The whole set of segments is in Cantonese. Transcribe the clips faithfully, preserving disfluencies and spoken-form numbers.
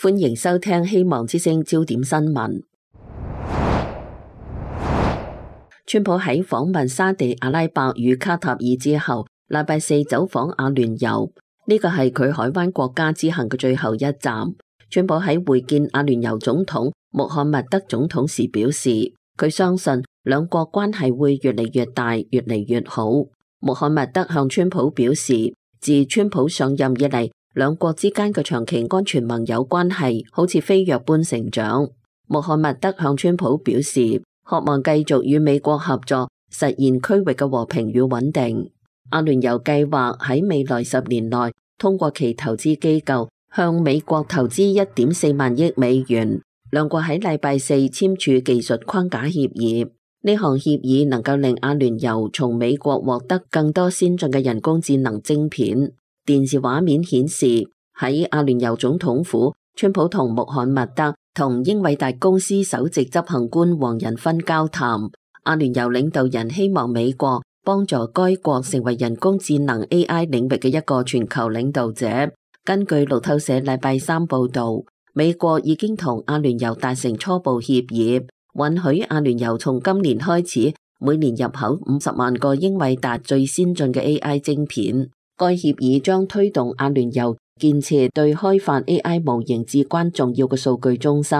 歡迎收聽希望之聲焦點新聞。川普喺訪問沙地阿拉伯與卡塔爾之後，禮拜四走訪阿聯酋，呢個係佢海灣國家之行嘅最後一站。川普喺會見阿聯酋總統穆罕默德總統時表示，佢相信兩國關係會越嚟越大，越嚟越好。穆罕默德向川普表示，自川普上任以嚟，兩國之間嘅長期安全盟友關係好似飛躍般成長。穆罕默德向川普表示，渴望繼續與美國合作，實現區域嘅和平與穩定。阿聯酋計劃喺未來十年內，通過其投資機構向美國投資一點四萬億美元。兩國喺禮拜四簽署技術框架協議，呢項協議能夠令阿聯酋從美國獲得更多先進嘅人工智能晶片。電視畫面顯示，喺阿聯酋總統府，川普同穆罕默德同英偉達公司首席執行官黃仁勳交談。阿聯酋領導人希望美國幫助該國成為人工智能 A I 領域嘅一個全球領導者。根據路透社禮拜三報道，美國已經同阿聯酋達成初步協議，允許阿聯酋從今年開始每年入口五十萬個英偉達最先進嘅 A I 晶片。該協議將推動阿聯酋建設對開發 A I 模型至關重要嘅數據中心。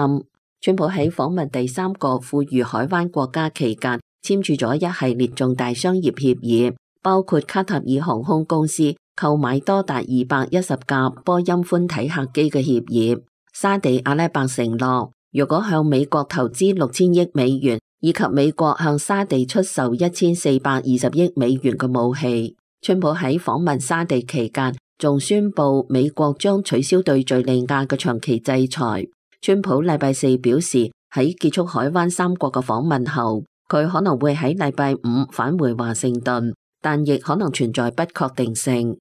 川普喺訪問第三個富裕海灣國家期間，簽署咗一系列重大商業協議，包括卡塔爾航空公司購買多達二百一十架波音寬體客機嘅協議。沙地阿拉伯承諾，如果向美國投資六千億美元，以及美國向沙地出售一千四百二十億美元嘅武器。川普喺訪問沙地期間，仲宣布美國將取消對敘利亞嘅長期制裁。川普禮拜四表示，喺結束海灣三國嘅訪問後，佢可能會喺禮拜五返回華盛頓，但亦可能存在不確定性。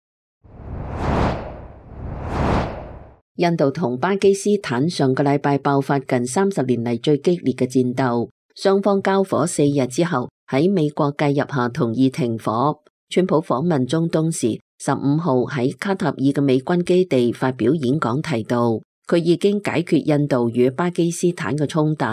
印度同巴基斯坦上個禮拜爆發近三十年嚟最激烈嘅戰鬥，雙方交火四日之後，喺美國介入下同意停火。川普訪問中東時，十五號喺卡塔爾嘅美軍基地發表演講，提到佢已經解決印度與巴基斯坦嘅衝突。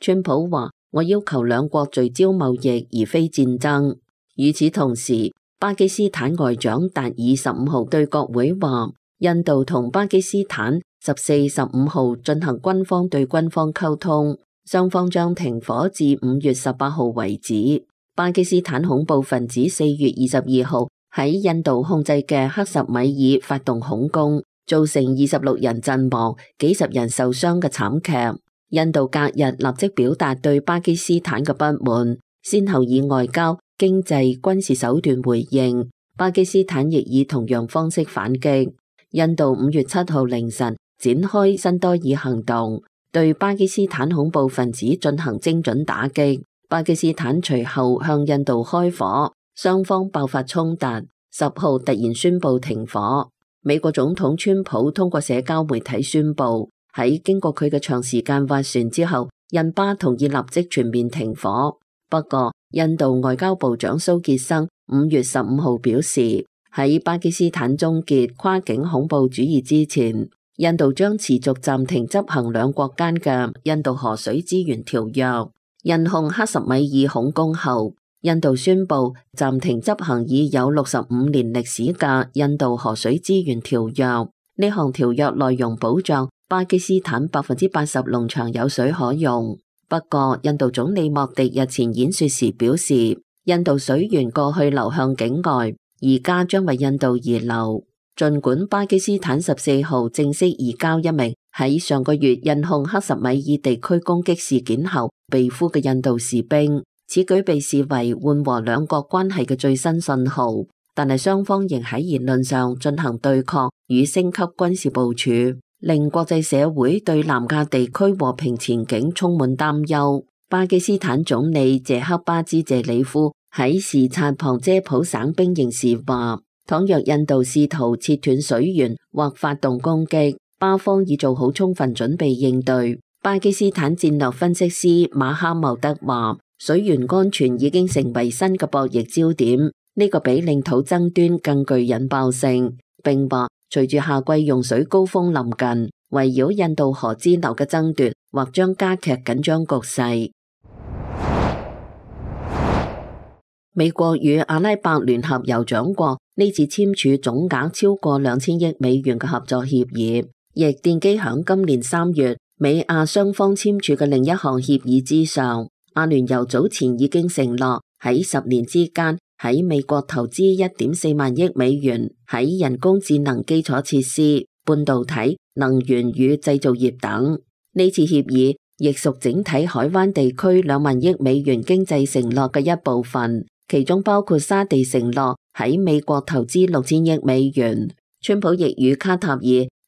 川普話：我要求兩國聚焦貿易而非戰爭。與此同時，巴基斯坦外長達爾十五號對國會話，印度同巴基斯坦十四、十五號進行軍方對軍方溝通，雙方將停火至五月十八號為止。巴基斯坦恐怖分子四月二十二號喺印度控制嘅克什米爾發動恐攻，造成二十六人陣亡、幾十人受傷嘅慘劇。印度隔日立即表達對巴基斯坦嘅不滿，先後以外交、經濟、軍事手段回應。巴基斯坦亦以同樣方式反擊。印度五月七號凌晨展開新多爾行動，對巴基斯坦恐怖分子進行精準打擊。巴基斯坦隨後向印度開火，雙方爆發衝突。十號突然宣布停火。美國總統川普通過社交媒體宣布，喺經過佢嘅長時間斡旋之後，印巴同意立即全面停火。不過，印度外交部長蘇傑生五月十五號表示，喺巴基斯坦終結跨境恐怖主義之前，印度將持續暫停執行兩國間嘅印度河水資源條約。印控克什米爾恐攻後，印度宣布暫停執行已有六十五年歷史嘅印度河水資源條約。呢項條約內容保障巴基斯坦百分之八十農場有水可用。不過，印度總理莫迪日前演說時表示，印度水源過去流向境外，而家將為印度而流。儘管巴基斯坦十四號正式移交一名喺上個月印控克什米爾地區攻擊事件後被俘嘅印度士兵，此舉被視為緩和兩國關係嘅最新信號，但係雙方仍喺言論上進行對抗與升級軍事部署，令國際社會對南亞地區和平前景充滿擔憂。巴基斯坦總理謝克巴茲謝里夫喺視察旁遮普省兵營時話，倘若印度試圖切斷水源或發動攻擊，巴方已做好充分準備應對。巴基斯坦戰略分析師馬哈茂德話，水源安全已經成為新嘅博弈焦點，呢個比領土爭端更具引爆性。並話，隨住夏季用水高峰臨近，圍繞印度河支流嘅爭奪或將加劇緊張局勢。美國與阿拉伯聯合酋長國呢次簽署總額超過兩千億美元嘅合作協議，亦奠基響今年三月美阿雙方簽署嘅另一項協議之上。阿聯酋早前已經承諾喺十年之間喺美國投資一點四萬億美元喺人工智能基礎設施、半導體、能源與製造業等。呢次協議亦屬整體海灣地區兩萬億美元經濟承諾嘅一部分，其中包括沙地承諾喺美國投資六千億美元。川普亦與卡塔爾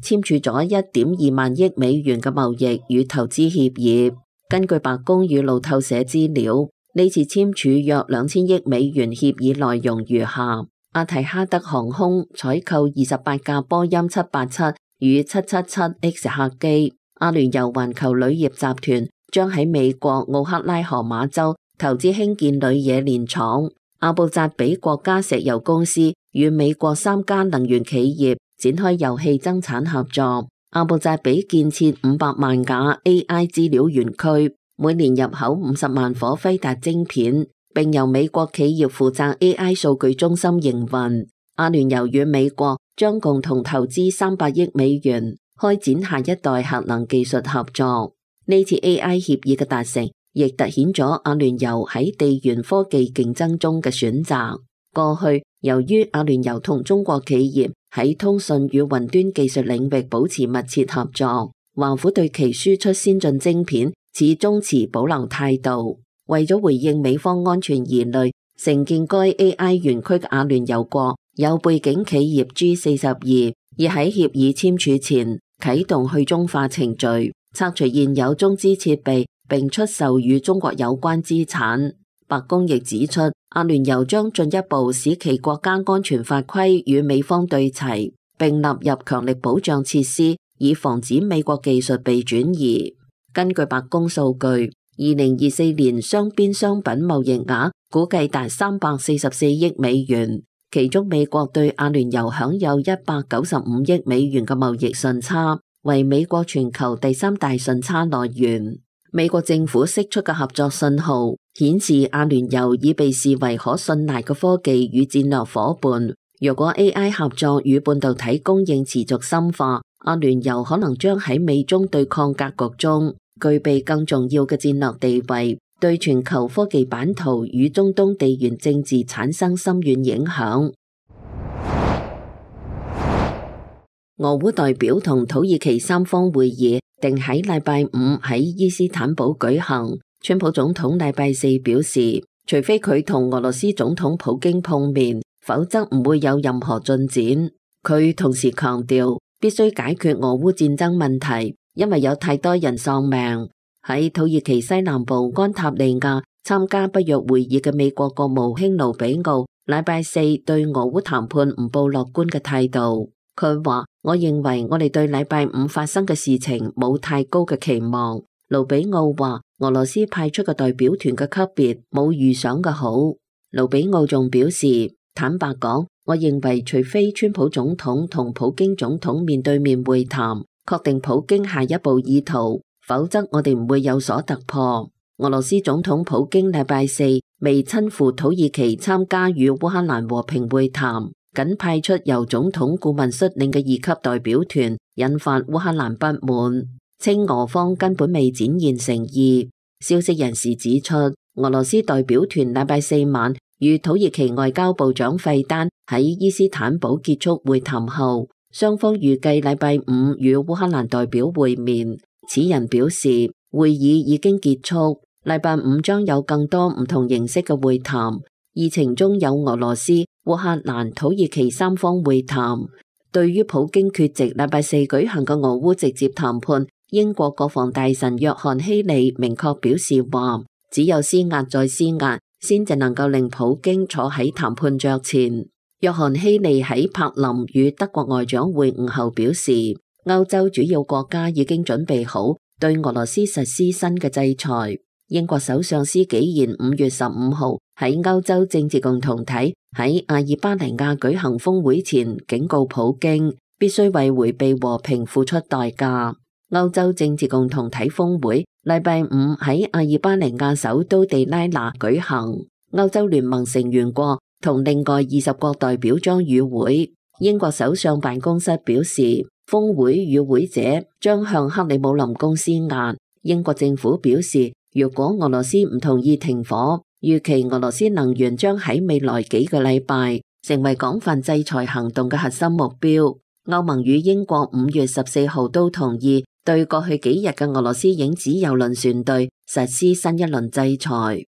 簽署咗一點二萬億美元嘅貿易與投資協議。根據白宮與路透社資料，呢次簽署約兩千億美元協議內容如下：阿提哈德航空採購二十八架波音七八七與七七七 X 客機；阿聯酋環球鋁業集團將喺美國奧克拉荷馬州投資興建鋁冶煉廠；阿布扎比國家石油公司與美國三家能源企業展開油氣增產合作。阿布扎比建設五百萬架 A I 資料園區，每年入口五十萬顆輝達晶片，並由美國企業負責 A I 數據中心營運。阿聯酋與美國將共同投資三百億美元，開展下一代核能技術合作。呢次 A I 協議嘅達成，亦凸顯咗阿聯酋喺地緣科技競爭中嘅選擇。過去，由於阿聯酋同中國企業喺通訊與雲端技術領域保持密切合作，華府對其輸出先進晶片始終持保留態度。為咗回應美方安全疑慮，承建該 A I 園區嘅阿聯酋國有背景企業 G 四十二，已喺協議簽署前啟動去中化程序，拆除現有中資設備，並出售與中國有關資產。白宮亦指出，阿聯酋將進一步使其國家安全法規與美方對齊，並納入強力保障設施，以防止美國技術被轉移。根據白宮數據，二零二四年雙邊商品貿易額估計達三百四十四億美元，其中美國對阿聯酋享有一百九十五億美元嘅貿易順差，為美國全球第三大順差來源。美國政府釋出嘅合作信號顯示，阿聯酋已被視為可信賴嘅科技與戰略夥伴。若果 A I 合作與半導體供應持續深化，阿聯酋可能將喺美中對抗格局中具備更重要嘅戰略地位，對全球科技版圖與中東地緣政治產生深遠影響。俄烏代表同土耳其三方會議定喺禮拜五喺伊斯坦堡舉行。川普總統禮拜四表示，除非佢同俄羅斯總統普京碰面，否則唔會有任何進展。佢同時強調，必須解決俄烏戰爭問題，因為有太多人喪命。喺土耳其西南部安塔利亞參加北約會議嘅美國國務卿盧比奧禮拜四對俄烏談判唔抱樂觀嘅態度。佢話：我認為我哋對禮拜五發生嘅事情冇太高嘅期望。盧比奧話：俄羅斯派出嘅代表團嘅級別冇預想嘅好。盧比奧仲表示，坦白講，我認為除非川普總統同普京總統面對面會談，確定普京下一步意圖，否則我哋唔會有所突破。俄羅斯總統普京禮拜四未親赴土耳其參加與烏克蘭和平會談，僅派出由總統顧問率領嘅二級代表團，引發烏克蘭不滿，稱俄方根本未展現誠意。消息人士指出，俄羅斯代表團禮拜四晚與土耳其外交部長費丹喺伊斯坦堡結束會談後，雙方預計禮拜五與烏克蘭代表會面。此人表示，會議已經結束，禮拜五將有更多唔同形式嘅會談，議程中有俄羅斯、烏克蘭、土耳其三方會談。對於普京缺席禮拜四舉行嘅俄烏直接談判，英國國防大臣約翰希利明確表示話，只有施壓再施壓，先至能夠令普京坐喺談判桌前。約翰希利喺柏林與德國外長會晤後表示，歐洲主要國家已經準備好對俄羅斯實施新嘅制裁。英國首相施紀賢五月十五號喺歐洲政治共同體喺阿爾巴尼亞舉行峰會前警告普京，必須為迴避和平付出代價。歐洲政治共同體峰會禮拜五喺阿爾巴尼亞首都地拉那舉行，歐洲聯盟成員國同另外二十國代表將與會。英國首相辦公室表示，峰會與會者將向克里姆林宮施壓。英國政府表示，如果俄羅斯唔同意停火，預期俄羅斯能源將喺未來幾個禮拜成為廣泛制裁行動嘅核心目標。歐盟與英國五月十四號都同意對過去幾日嘅俄羅斯影子郵輪船隊實施新一輪制裁。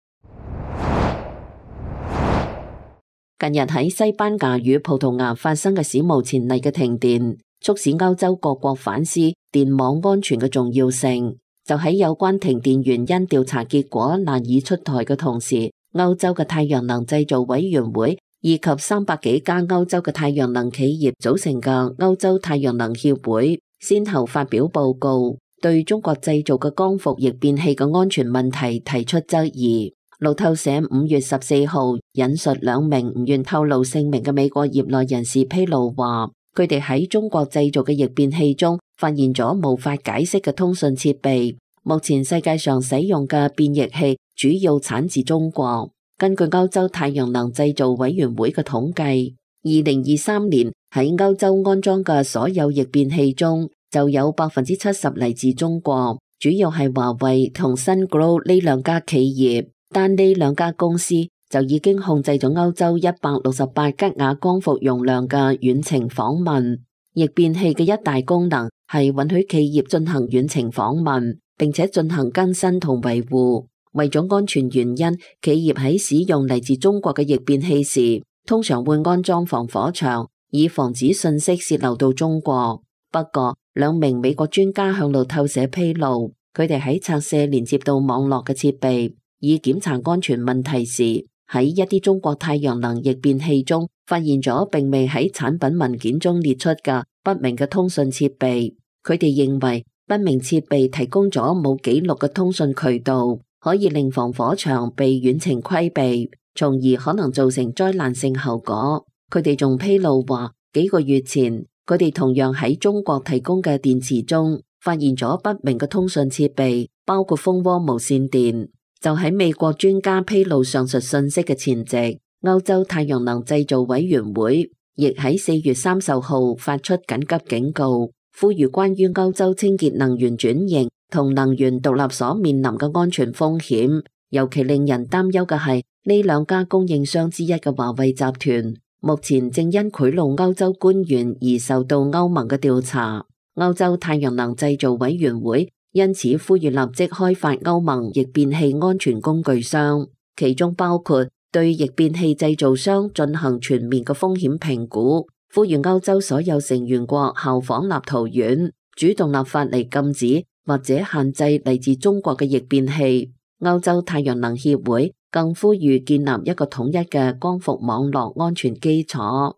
近日喺西班牙與葡萄牙發生嘅史無前例嘅停電，促使歐洲各國反思電網安全嘅重要性。就喺有關停電原因調查結果難以出台嘅同時，歐洲嘅太陽能製造委員會以及三百幾家歐洲嘅太陽能企業組成嘅歐洲太陽能協會，先後發表報告，對中國製造嘅光伏逆變器嘅安全問題提出質疑。路透社五月十四號引述兩名唔願透露姓名嘅美國業內人士披露話，佢哋喺中國製造嘅逆變器中發現咗無法解釋嘅通訊設備。目前世界上使用嘅變逆器主要產自中國。根據歐洲太陽能製造委員會嘅統計，二零二三年喺歐洲安裝嘅所有逆變器中，就有百分之七十嚟自中國，主要係華為同 Sungrow 呢兩家企業。但呢兩家公司就已經控制咗歐洲一百六十八吉瓦光伏容量嘅遠程訪問。逆變器嘅一大功能係允許企業進行遠程訪問，並且進行更新同維護。為咗安全原因，企業喺使用嚟自中國嘅逆變器時，通常會安裝防火牆，以防止信息洩漏到中國。不過，兩名美國專家向路透社披露，佢哋喺拆卸連接到網絡嘅設備，以檢查安全問題時，喺一啲中國太陽能逆變器中發現咗並未喺產品文件中列出嘅不明嘅通訊設備。佢哋認為不明設備提供咗冇記錄嘅通訊渠道，可以令防火牆被遠程規避，從而可能造成災難性後果。佢哋仲披露話，幾個月前佢哋同樣喺中國提供嘅電池中發現咗不明嘅通訊設備，包括蜂窩無線電。就喺美國專家披露上述信息嘅前夕，歐洲太陽能製造委員會亦喺四月三十號發出緊急警告，呼籲關於歐洲清潔能源轉型同能源獨立所面臨嘅安全風險。尤其令人擔憂嘅係，呢兩家供應商之一嘅華為集團，目前正因賄賂歐洲官員而受到歐盟嘅調查。歐洲太陽能製造委員會因此呼籲立即開發歐盟逆變器安全工具箱，其中包括對逆變器製造商進行全面嘅風險評估，呼籲歐洲所有成員國效仿立陶宛，主動立法嚟禁止或者限制嚟自中國嘅逆變器。歐洲太陽能協會更呼籲建立一個統一嘅光伏網絡安全基礎。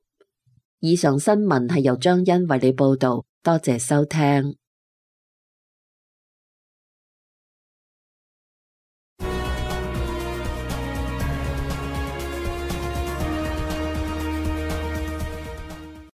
以上新聞係由張欣為你報道，多謝收聽。